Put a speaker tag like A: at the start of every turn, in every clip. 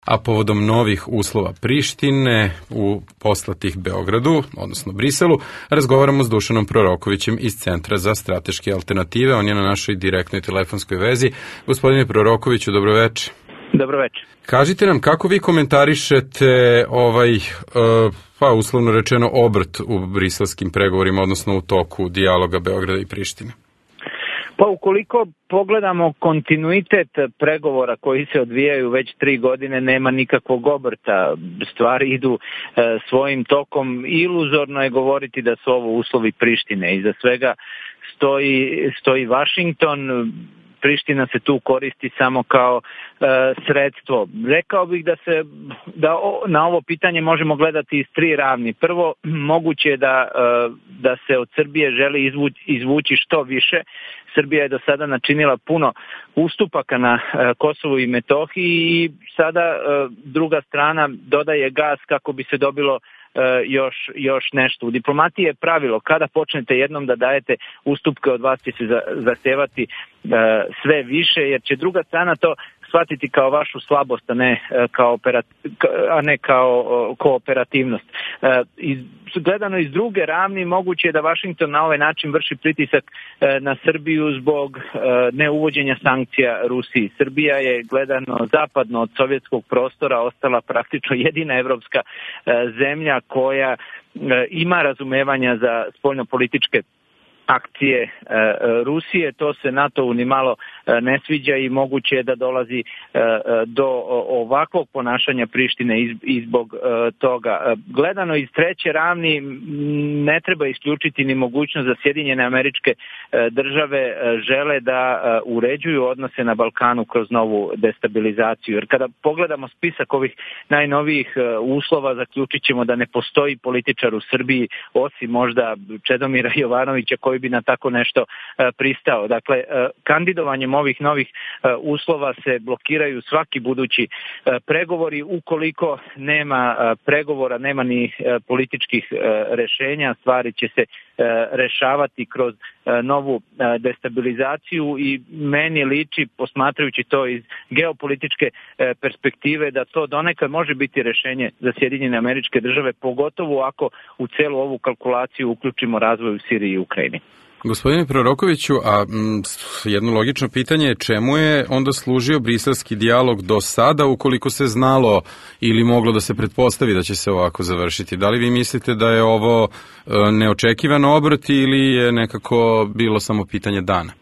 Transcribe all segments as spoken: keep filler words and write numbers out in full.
A: A povodom novih uslova Prištine u poslatih Beogradu, odnosno Briselu, razgovaramo s Dušanom Prorokovićem iz Centra za strateške alternative. On je na našoj direktnoj telefonskoj vezi. Gospodine Prorokoviću, dobroveče.
B: Dobroveče.
A: Kažite nam kako vi komentarišete ovaj, pa uslovno rečeno, obrt u briselskim pregovorima, odnosno u toku dijaloga Beograda i Prištine?
B: Pa ukoliko pogledamo kontinuitet pregovora koji se odvijaju već tri godine, nema nikakvog obrta. Stvari idu e, svojim tokom. Iluzorno je govoriti da su ovo uslovi Prištine. Iza svega stoji, stoji Vašington. Priština se tu koristi samo kao e, sredstvo. Rekao bih da se da o, na ovo pitanje možemo gledati iz tri ravni. Prvo, moguće je da, e, da se od Srbije želi izvući, izvući što više. Srbija je do sada načinila puno ustupaka na e, Kosovu i Metohiji i sada e, druga strana dodaje gas kako bi se dobilo još, još nešto. U diplomatiji je pravilo, kada počnete jednom da dajete ustupke, od vas će se zahtevati sve više, jer će druga strana to shvatiti kao vašu slabost, a ne kao, a ne kao kooperativnost. Iz, gledano iz druge ravni, moguće je da Vašington na ovaj način vrši pritisak na Srbiju zbog neuvođenja sankcija Rusiji. Srbija je, gledano zapadno od sovjetskog prostora, ostala praktično jedina evropska zemlja koja ima razumevanja za spoljnopolitičke akcije e, Rusije. To se NATO-u ni malo e, ne sviđa i moguće je da dolazi e, do ovakvog ponašanja Prištine iz, izbog e, toga. E, gledano iz treće ravni, ne treba isključiti ni mogućnost da Sjedinjene Američke e, države e, žele da e, uređuju odnose na Balkanu kroz novu destabilizaciju. Jer kada pogledamo spisak ovih najnovijih e, uslova, zaključit ćemo da ne postoji političar u Srbiji, osim možda Čedomira Jovanovića, koji bi na tako nešto e, pristao. Dakle, e, kandidovanjem ovih novih e, uslova se blokiraju svaki budući e, pregovori. Ukoliko nema e, pregovora, nema ni e, političkih e, rešenja, stvari će se e, rešavati kroz e, novu e, destabilizaciju i meni liči, posmatrajući to iz geopolitičke e, perspektive, da to donekad može biti rešenje za Sjedinjene Američke države, pogotovo ako u celu ovu kalkulaciju uključimo razvoj u Siriji i Ukrajini.
A: Gospodine Prorokoviću, a m, jedno logično pitanje je čemu je onda služio briselski dijalog do sada, ukoliko se znalo ili moglo da se pretpostavi da će se ovako završiti? Da li vi mislite da je ovo e, neočekivan obrt ili je nekako bilo samo pitanje dana?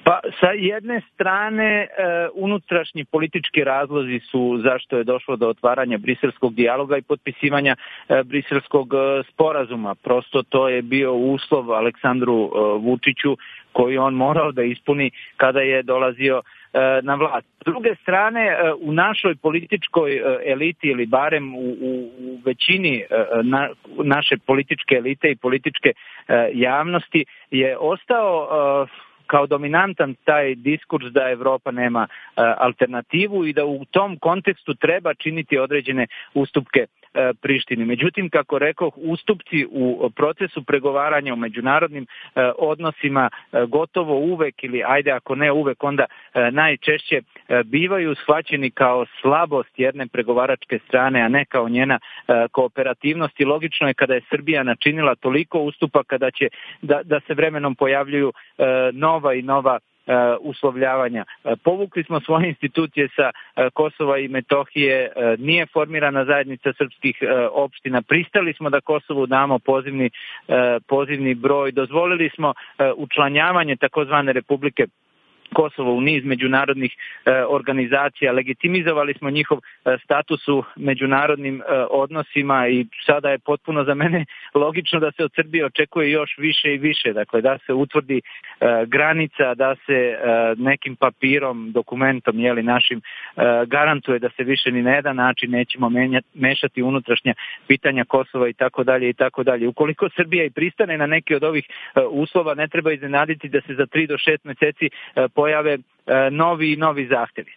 B: Pa sa jedne strane e, unutrašnji politički razlozi su zašto je došlo do otvaranja briselskog dijaloga i potpisivanja e, briselskog e, sporazuma. Prosto to je bio uslov Aleksandru e, Vučiću koji on morao da ispuni kada je dolazio e, na vlast. S druge strane, e, u našoj političkoj e, eliti ili barem u, u, u većini e, na, naše političke elite i političke e, javnosti je ostao e, kao dominantan taj diskurs da Evropa nema e, alternativu i da u tom kontekstu treba činiti određene ustupke e, Prištini. Međutim, kako rekoh, ustupci u procesu pregovaranja u međunarodnim e, odnosima e, gotovo uvek ili ajde ako ne uvek, onda e, najčešće e, bivaju shvaćeni kao slabost jedne pregovaračke strane, a ne kao njena e, kooperativnost. I logično je kada je Srbija načinila toliko ustupaka da će da, da se vremenom pojavljuju e, nova i nova uh, uslovljavanja. Uh, povukli smo svoje institucije sa uh, Kosova i Metohije, uh, nije formirana zajednica srpskih uh, opština, pristali smo da Kosovu damo pozivni, uh, pozivni broj, dozvolili smo uh, učlanjavanje takozvane Republike Kosovo u niz međunarodnih e, organizacija, legitimizovali smo njihov e, status u međunarodnim e, odnosima i sada je potpuno za mene logično da se od Srbije očekuje još više i više, dakle da se utvrdi e, granica, da se e, nekim papirom, dokumentom, jeli, našim e, garantuje da se više ni na jedan način nećemo menjati, mešati unutrašnja pitanja Kosova i tako dalje i tako dalje. Ukoliko Srbija i pristane na neki od ovih e, uslova, ne treba iznenaditi da se za tri do šest meseci e, pojave e, novi i novi zahtevi.